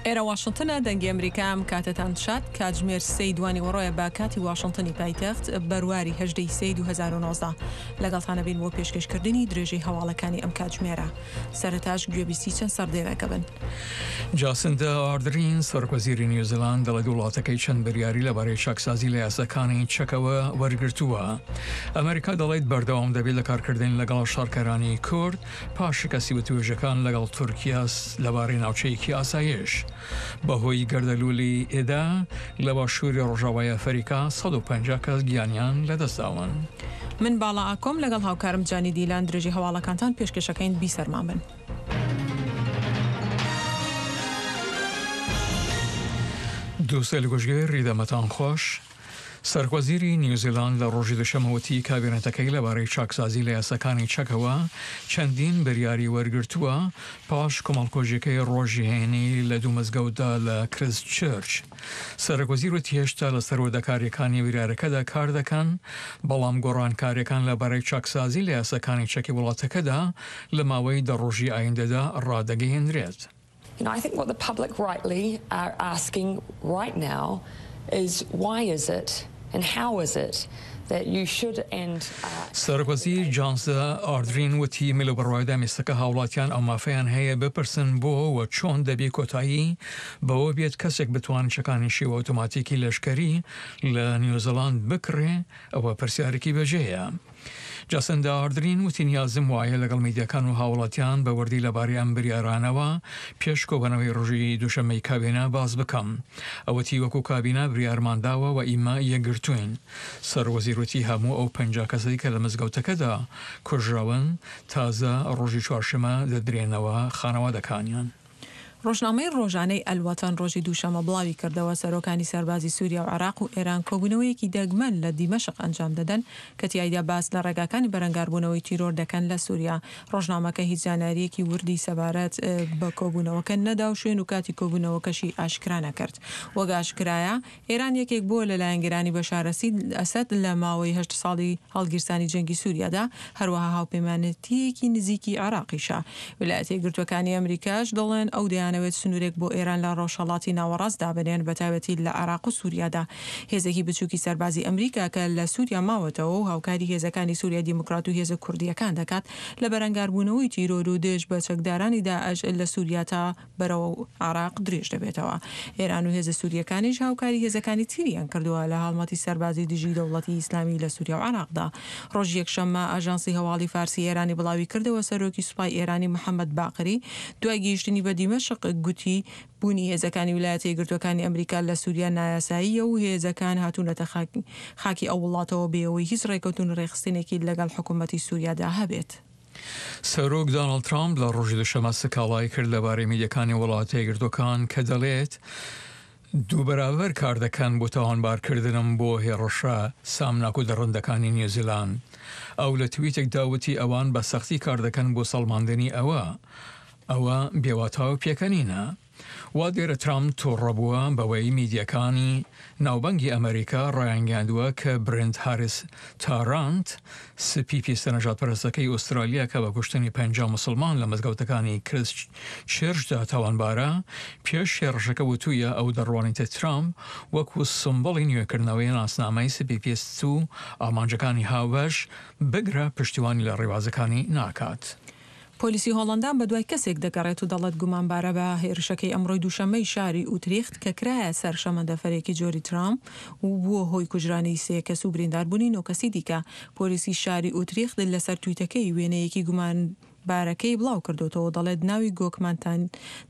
ئێرە واشنتنە، دەنگی ئەمریکا، ئەم کاتەتان شاد، کاتژمێر سێی دوانیوەڕۆیە بە کاتی واشنتنی پایتەخت، بەرواری هەژدە ی سێی 2019. لەگەڵتان ئەبین بۆ پێشکەشکردنی درێژەی هەواڵەکانی ئەم کاتژمێرە. سەرەتاش گوێبیستی چەند سەردێرەکە بن. جاسندا ئاردرین، سەرۆکوەزیری نیوزیلاند دەڵێت وڵاتەکەی چەند بریاری لەبارەی چاکسازی لە یاساکانی چەکەوە وەرگرتووە. ئەمریکا دەڵێت بەردەوام دەبێت لە کارکردن لەگەڵ شەڕکەرانی کورد پاش شکستی وتوێژەکان لەگەڵ تورکیا لەبارەی ناوچەیەکی ئاسایش. بەهۆی گەردەلوولی ئێدا لە باشووری ڕۆژاوای ئەفەریکا 150 کەس گیانیان لەدەستداون. من باڵا ئاکۆم لەگەڵ هاوکارم جانی دیلان درێژەی هەواڵەکانتان پێشکەشەکەین بیسەرمان بن. دووسەیل گوشگێر ریدەمەتان خوەش. سەرۆکوەزیری نیوزیلاند لە ڕۆژی دوشەمە وتی کابینەتەکەی لەبارەی چاکسازی لە یاساکانی چەکەوە چەندین بریاری وەرگرتووە پاش کۆمەڵکۆژیەکەی ڕۆژی هەینی لە دوو مزگەوتدا لە کرست چرچ. سەرۆکوەزیر وتی هێشتا لەسەر وردەکاریەکانی بریارەکەدا کار دەکەن، بەڵام گۆڕانکاریەکان لەبارەی چاکسازی لە یاساکانی چەکی وڵاتەکەدا لە ماوەی دە ڕۆژی ئایندەدا ڕادەگەیەنرێت. You know, I think what the public rightly are asking right now is why is it and how is it that you should and سەرۆکوەزیر جانسدا ئاردرین وتی، من لەو بڕوایەدام ئێستەکە هاوڵاتیان ئەو مافەیان هەیە بپرسن بۆ و چۆن دەبێ کۆتایی بەوە بێت کەسێک بتوانێت چەکانی شێوە ئۆتۆماتیکی لەشکەری لە نیوزیلاند بکڕێ، ئەوە پرسیارێکی بەجێیە. جاسندا ئاردرین وتی نیازم وایە لەگەڵ میدیاکان و هاوڵاتیان بە وردی لەبارەی ئەم بریارانەوە پێش کۆبەنەوەی ڕۆژی دووشەممەی کابینە باس بکەم. ئەو وتی وەکو کابینە بریارمان داوە و ئیمە یەکگرتووین. سەرۆکوەزیر وتی هەموو ئەو 50 کەسەی کە لە مزگەوتەکەدا کوژراون تازە ڕۆژی چوارشەمە دەدرێنەوە خانەوادەکانیان. ڕۆژنامەی ڕۆژانەی ئەلوەتەن ڕۆژی دووشەممە بڵاویکردەوە، سەرۆکانی سەربازی سوریا و عێراق و ئێران کۆبوونەوەیەکی دەگمەن لە دیمەشق ئەنجام دەدەن کە تیایدا باس لە ڕێگاکانی بەرەنگاربوونەوەی تیرۆر دەکەن لە سوریا. ڕۆژنامەکە هیچ زانیارییەکی وردی سەبارەت بە کۆبوونەوەکە نەدا و شوێن و کاتی کۆبوونەوەکەشی ئاشکرا نەکرد. وەک ئاشکرایە، ئێران یەکێک بووە لە لایەنگرانی بەشار ئەسەد لە ماوەی هەشت ساڵی هەڵگیرسانی جەنگی سوریادا، هەروەها هاوپەیمانێتییەکی نزیکی عێراقیشە. ویلایەتە یەکگرتووەکانی ئەمریکاش دەڵێن ئەو دەیانەوێت سنوورێک بۆ ئێران لە ڕۆژهەڵاتی ناوەڕاست دابنێن بەتایبەتی لە عێراق و سوریادا. هێزێکی بچووکی سەربازی ئەمریکا کە لە سوریا ماوەتەوە و هاوکاری هێزەکانی سوریای دیموکرات و هێزە کوردییەکان دەکات لە بەرەنگاربوونەوەی تیرۆر و دژ بە چەکدارانی داعش لە سوریا تا بەرەو عێراق درێژ دەبێتەوە. ئێران و هێزە سورییەکانیش هاوکاری هێزەکانی تریان کردووە لە هەڵمەتی سەربازی دژی دەوڵەتی ئیسلامی لە سوریا و عێراقدا. ڕۆژی یەکشەممە ئاژانسی هەواڵی فارسی ئێرانی بڵاویکردەوە سەرۆکی سوپای ئێرانی محەمەد باقری دوای گەیشتنی بە دیمەشق گوتی بوونی هێزەکانی ویلایەتە یەکگرتووەکانی ئەمریکا لە سوریا نایاساییە و هێزەکان هاتوونەتە خاکی ئەو وڵاتەوە بێ ئەوەی هیچ ڕێکەوتن و ڕێکخستنێکی لەگەڵ حکومەتی سوریادا هەبێت. سەرۆک داناڵد ترامپ لە ڕۆژی دوشەمە سکاڵای کرد لەبارەی میدیەکانی وڵاتە یەکگرتووەکان کە دەڵێت دووبەرابەر کار دەکەن بۆ تاوانبارکردنم بۆ هێڕشە سامناک و دڕندەکانی نیوزیلاند. ئەو لە تویتێکدا وتی ئەوان بە سەختی کار دەکەن بۆ سەڵماندنی ئەوە. ئەوە بێواتا و پێکەنینە. وا دیارە ترامپ توڕە بووە بەوەی میدیاکانی ناوبانگی ئەمریکا ڕایانگەیاندووە کە برێنت هاریس تارانت، سپی پێستە نەژادپەرستەکەی ئوسترالیا کە بە کوشتنی 50 موسڵمان لە مزگەوتەکانی کرست چێرچدا تاوانبارە، پێش هێڕشەکە وتوویە ئەو دەڕوانیتە ترامپ وەکو سمبوڵی نوێکردنەوەی ناسنامەی سپی پێست و ئامانجەکانی هاوبەش، بگرە پشتیوانی لە ڕێبازەکانی ناکات. پۆلیسی هۆڵەندا بەدوای کەسێک دەگەڕێت و دەڵێت گومانبارە بە هێرشەکەی ئەمڕۆی دووشەممەی شاری ئوتریخت کە کرایە سەر شەمەندەفەرێکی جۆری ترام و بووە هۆی کوژرانی سێ کەس و برینداربوونی نۆ کەسی دیکە. پۆلیسی شاری ئوتریخت لەسەر تویتەکەی وێنەیەکی گومانبارەکەی بڵاوکردۆتەوە و دەڵێت ناوی گۆکمان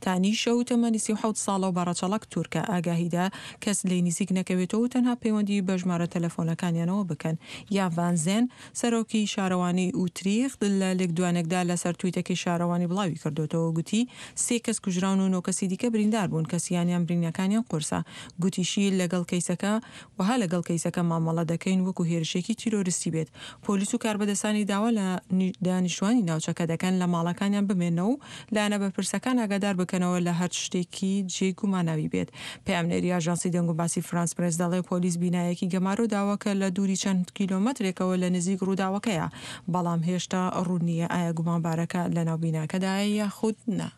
تانیشە و تەمەنی 37 ساڵە و بە ڕەچەڵەک تورکە. ئاگاهیدا کەس لێی نزیک نەکەوێتەوە و تەنها پەیوەندی بە ژمارە تەلەفۆنەکانیانەوە بکەن. یان ڤان زێن، سەرۆکی شارەوانیی ئوتریخت لە لێکدوانێکدا لەسەر تویتەکەی شارەوانی بڵاویکردۆتەوە گوتی، سێ کەس کوژراون و نۆ کەسی دیکە بریندار بوون کە سیانیان برینەکانیان قورسە. گوتیشی، لەگەڵ کەیسەکە وەها لەگەڵ کەیسەکە مامەڵە دەکەین وەکو هێرشێکی تیرۆرستی بێت. پۆلیس و کاربەدەستانی داوا لە دانیشتوانی ناوچەکە دەکەن لە ماڵەکانیان بمێننەوە و لایەنە بەرپرسەکان ئاگادار بکەنەوە لە هەرچ شتێکی جێی گوماناوی بێت. پەیامنێری ئاژانسی دەنگوباسی فرانس پرێس دەڵێ پۆلیس بینایەکی گەمارۆ داوە کە لە دووری چەند کیلۆمەترێکەوە لە نزیک ڕووداوەکەیە، بەڵام هێشتا ڕوون نییە ئایا گومانبارەکە لەناو بیناکەدایە یاخود نا.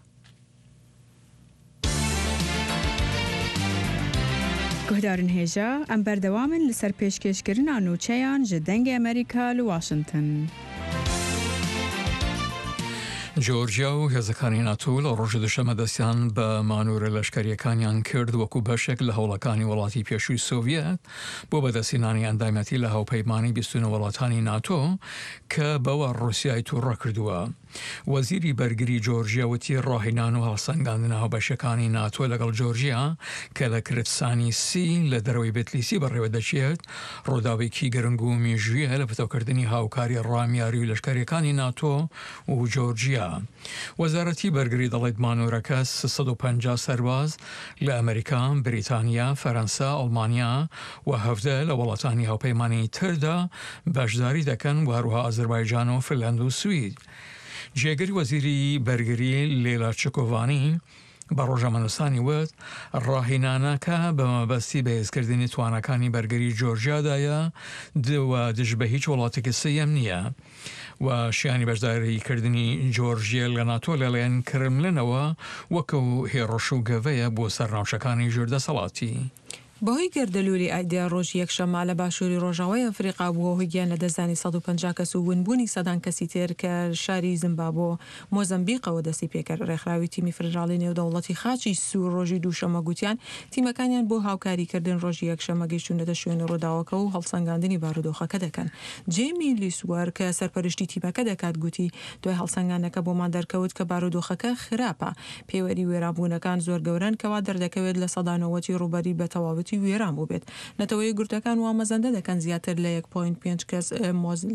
Guhdarên hêja, em berdewam in li ser pêşkêşkirina nûçeyan ji Dengê Amerîka li Washington. جۆرجیا و هێزەکانی ناتۆ لە ڕۆژی دوشەمە دەستیان بە مانۆرە لەشکەریەکانیان کرد وەکو بەشێک لە هەوڵەکانی وڵاتی پێشووی سۆڤیەت بۆ بەدەستهێنانی ئەندامیەتی لە هاوپەیمانی 29 وڵاتانی ناتۆ کە بەوە ڕوسیای توڕە کردووە. وەزیری بەرگری جۆرجیا وتی ڕاهێنان و هەڵسەنگاندنە هاوبەشەکانی ناتۆ لەگەڵ جۆرجیا کە لە کرتسانیسی لە دەرەوەی بتلیسی بەڕێوەدەچێت ڕووداوێکی گرنگ و مێژوویە لە پتەوکردنی هاوکاری ڕامیاری و لەشکەریەکانی ناتۆ و جۆرجیا. وەزارەتی بەرگری دەڵێت مانۆرەکە 350 سەرباز لە ئەمریکا، بریتانیا، فەرەنسا، ئەڵمانیا و 17 لە وڵاتانی هاوپەیمانی تردا بەشداری دەکەن و هەروەها ئازەربایجان و فنلەند و سوید. جێگری وەزیری بەرگری لێلا چکۆڤانی بە ڕۆژنامەنووسانی وت، ڕاهینانەکە بە مەبەستی بەهێزکردنی تواناکانی بەرگری جۆرجیادایە و دژ بە هیچ وڵاتێکی سێیەم نییە و شیانی بەشداریکردنی جۆرجیە لە ناتۆ لەلایەن کرملنەوە وەکو هێڕش و گەڤەیە بۆ سەر ناوچەکانی ژێر دەسەڵاتی. بەهۆی گەردەلوولی ئایدیا ڕۆژی یەکشەممە لە باشووری ڕۆژاوای ئەفریقا بووە هۆی گیانلەدەستدانی 150 کەس و ونبوونی سەدان کەسی تر کە شاری زیمبابۆ مۆزەمبیقەوە دەستی پێکرد. ڕێکخراوی تیمی فیدراڵی نێودەوڵەتی خاچی سوور ڕۆژی دووشەممە گوتیان تیمەکانیان بۆ هاوکاریکردن ڕۆژی یەکشەممە گەیشتوونەتە شوێنی ڕووداوەکە و هەڵسەنگاندنی بارودۆخەکە دەکەن. جێمی لیسوەر کە سەرپەرشتی تیمەکە دەکات گوتی دوای هەڵسەنگاندنەکە بۆمان دەرکەوت کە بارودۆخەکە خراپە. پێوەری وێرانبوونەکان زۆر گەورەن کە وا دەردەکەوێت 90% ی ڕووبەری بە تەواوەتی وێران بووبێت. نەتەوە یەکگرتووەکان وا مەزەندە دەکەن زیاتر لە یەک پۆینت پێنج کەس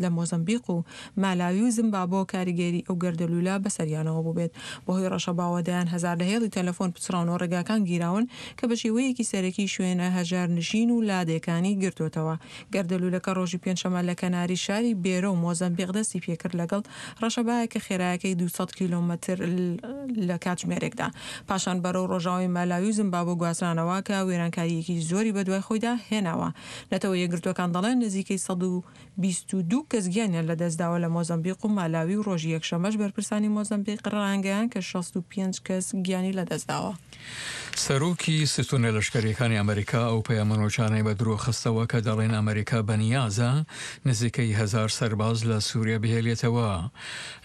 لە مۆزەمبیق و مالاوی و زیمبابۆ کاریگەری ئەو گەردەلوولە بەسەریانەوە بووبێت. بەهۆی ڕەشەباوە دەیان هەزار لە هێڵی تەلەفۆن پچڕاون و ڕێگاکان گیراون کە بە شێوەیەکی سەرەکی شوێنە هەژارنشین و لادێکانی گرتۆتەوە. گەردەلوولەکە ڕۆژی پێنجشەممە لە کەناری شاری بێرە و مۆزەمبیق دەستی پێکرد لەگەڵ ڕەشەبایەک کە خێرایەکەی 200 کیلۆمەتر لە کاتژمێرێکدا. پاشان بەرەو ڕۆژاوای مالاوی و زیمبابۆ گوازرانەوە کە وێرانکارییەکی زۆری بەدوای خۆیدا هێناوە. نەتەوە یەکگرتووەکان دەڵێن نزیکەی 122 کەس گیانیان لەدەستداوە لە مۆزەمبیق و مالاوی و ڕۆژی یەکشەممەش بەرپرسانی مۆزەمبیق ڕایانگەیاند کە 65 کەس گیانی لەدەستداوە. سەرۆکی ستونە لەشکەریەکانی ئەمریکا ئەو پەیامە نوچانەی بە درۆ خستەوە کە دەڵێن ئەمریکا بەنیازە نزیکەی هەزار سەرباز لە سوریا بهێلێتەوە.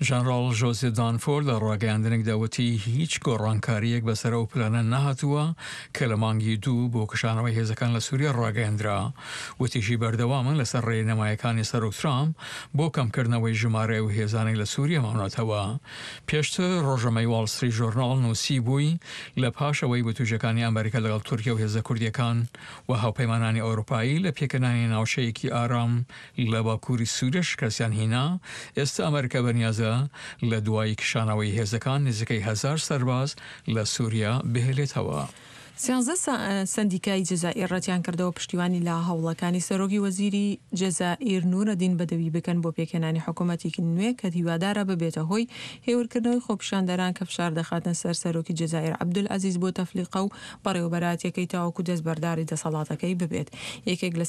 ژەنڕاڵ ژۆزیف دانفۆرد لە ڕاگەیاندنێکدا وتی هیچ گۆڕانکارییەک بەسەر ئەو پلانە نەهاتووە کە لە مانگی دوو بۆ کشانەوەی هێزەکان لە سوریا ڕاگەیەندرا. وتیشی بەردەوامن لەسەر ڕێنمایەکانی سەرۆک ترامپ بۆ کەمکردنەوەی ژمارەی ئەو هێزانەی لە سوریا ماونەتەوە. پێشتر ڕۆژنامەی واڵ ستریت ژۆرناڵ نووسیبووی، لە پاش ئەوەی وتووێژەکانی ئەمریکا لەگەڵ تورکیا و هێزە کوردییەکان و هاوپەیمانانی ئەوروپایی لە پێکهێنانی ناوچەیەکی ئارام لە باکووری سووریا شکستیان هینا، ئێستا ئەمریکا بەنیازە لە دوای کشانەوەی هێزەکان نزیکەی هەزار سەرباز لە سووریا بهێلێتەوە. سیانزە سەندیکای جەزائیر ڕەتیانکردەوە پشتیوانی لە هەوڵەکانی سەرۆکی وەزیری جەزائیر نورەدین بەدەوی بکەن بۆ پێکهێنانی حکومەتێکی نوێ کە هیوادارە ببێتە هۆی هێورکردنەوەی خۆپیشاندەران کە فشار دەخاتە سەر سەرۆکی جەزائیر عەبدولعەزیز بوتەفلیقە و بەڕێوەبەرایەتیەکەی تاوەکو دەستبەرداری دەسەڵاتەکەی ببێت. یەکێک لە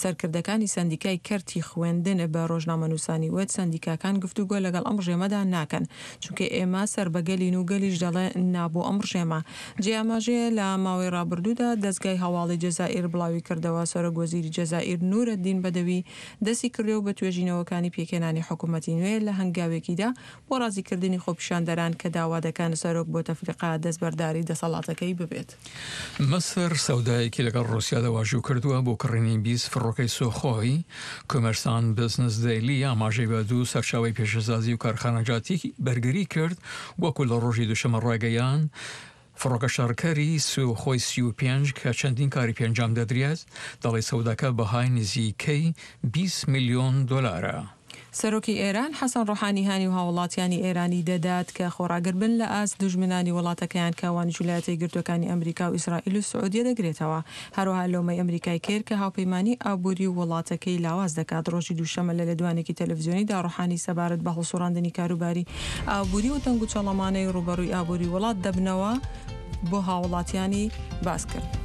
سەرکردەکانی سەندیکای کەرتی خوێندن بە ڕۆژنامەنووسانی وت، سەندیکاکان گفتوگۆ لەگەڵ ئەم ڕژێمەدا ناکەن، چونکە ئێمە سەر بە گەلین و گەلیش دەڵێ نا بۆ ئەم ڕژێمە. جێی ئاماژەیە لە ماوەی ڕابردوودا دەزگای هەواڵی جەزائیر بڵاویکردەوە، سەرۆک وەزیری جەزائیر نورەدین بەدەوی دەستی کردووە بە توێژینەوەکانی پێکهێنانی حکومەتی نوێ لە هەنگاوێکیدا بۆ ڕازیکردنی خۆپیشاندەران کە داوا دەکەن سەرۆک بوتەفلیقە دەستبەرداری دەسەڵاتەکەی ببێت. میسر سەودایەکی لەگەڵ ڕووسیادا واژوو کردووە بۆ کڕینی 20 فڕۆکەی سۆخۆی. کۆمێرسانت بزنس دەیلی ئاماژەی بە دوو سەرچاوەی پیشەسازی و کارخانەجاتی بەرگری کرد، وەکو لە ڕۆژی دووشەممە ڕایگەیاند، فڕۆکە شەڕکەری سوخۆی 35 کە چەندین کاری پێ ئەنجام دەدرێت، دەڵێت سەوداکە بەهای نزیکەی 20 ملیۆن دۆلارە. سەرۆکی ئێران، حەسەن ڕۆحانی هانی و هاووڵاتیانی ئێرانی دەدات کە خۆڕاگر بن لە ئاست دوژمنانی وڵاتەکەیان کە ئەوانیش ولایەتە یەکگرتووەکانی ئەمریکا و ئیسرائیل و سعودیە دەگرێتەوە. هەروەها لۆمەی ئەمریکای کرد کە هاوپەیمانی ئابووری وڵاتەکەی لاواز دەکات. ڕۆژی دووشەممە لە لێدوانێکی تەلەفزیۆنیدا ڕۆحانی سەبارەت بە هەڵسوڕاندنی کاروباری ئابووری و تەنگوچەڵەمانەی ڕووبەڕووی ئابووری وڵات دەبنەوە بۆ هاووڵاتیانی باس کرد.